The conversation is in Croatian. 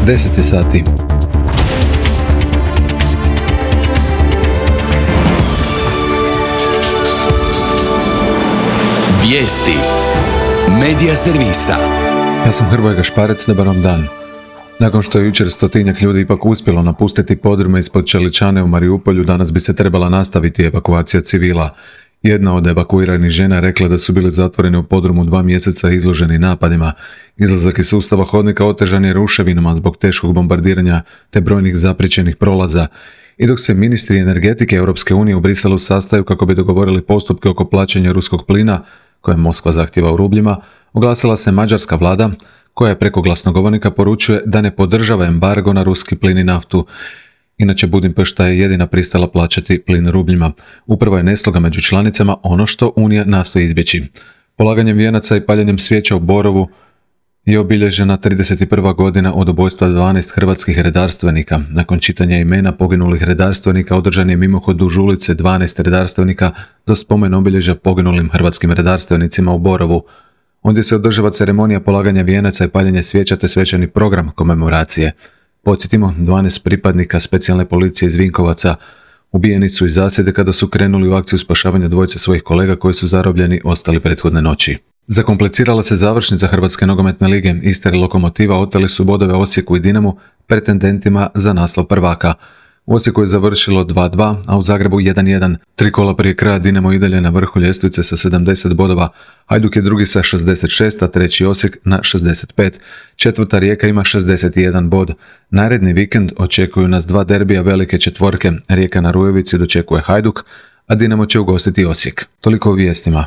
10 je sati. Vijesti Medija servisa. Ja sam Hrvoje Gašparec, dobar vam dan. Nakon što je jučer 100-tinjak ljudi ipak uspjelo napustiti podrume ispod Čeličane u Mariupolju, danas bi se trebala nastaviti evakuacija civila. Jedna od evakuiranih žena rekla da su bili zatvoreni u podrumu 2 mjeseca izloženi napadima. Izlazak iz sustava hodnika otežan je ruševinama zbog teškog bombardiranja te brojnih zapriječenih prolaza. I dok se ministri energetike Europske unije u Briselu sastaju kako bi dogovorili postupke oko plaćanja ruskog plina, koje Moskva zahtjeva u rubljima, oglasila se mađarska vlada, koja je preko glasnogovornika poručuje da ne podržava embargo na ruski plin i naftu. Inače, Budimpešta je jedina pristala plaćati plin rubljima. Upravo je nesloga među članicama ono što Unija nastoji izbjeći. Polaganjem vijenaca i paljenjem svijeća u Borovu je obilježena 31. godina od ubojstva 12 hrvatskih redarstvenika. Nakon čitanja imena poginulih redarstvenika održan je mimohod duž ulice 12 redarstvenika do spomen obilježja poginulim hrvatskim redarstvenicima u Borovu. Ondje se održava ceremonija polaganja vijenaca i paljenje svijeća te svečani program komemoracije. Podsjetimo, 12 pripadnika specijalne policije iz Vinkovaca ubijeni su iz zasjede kada su krenuli u akciju spašavanja dvojice svojih kolega koji su zarobljeni ostali prethodne noći. Zakomplicirala se završnica Hrvatske nogometne lige. Istar i Lokomotiva oteli su bodove Osijeku i Dinamu, pretendentima za naslov prvaka. U Osijeku je završilo 2-2, a u Zagrebu 1-1. 3 kola prije kraja Dinamo i dalje na vrhu ljestvice sa 70 bodova. Hajduk je drugi sa 66, a treći Osijek na 65. Četvrta Rijeka ima 61 bod. Naredni vikend očekuju nas 2 derbija velike četvorke. Rijeka na Rujevici dočekuje Hajduk, a Dinamo će ugostiti Osijek. Toliko o vijestima.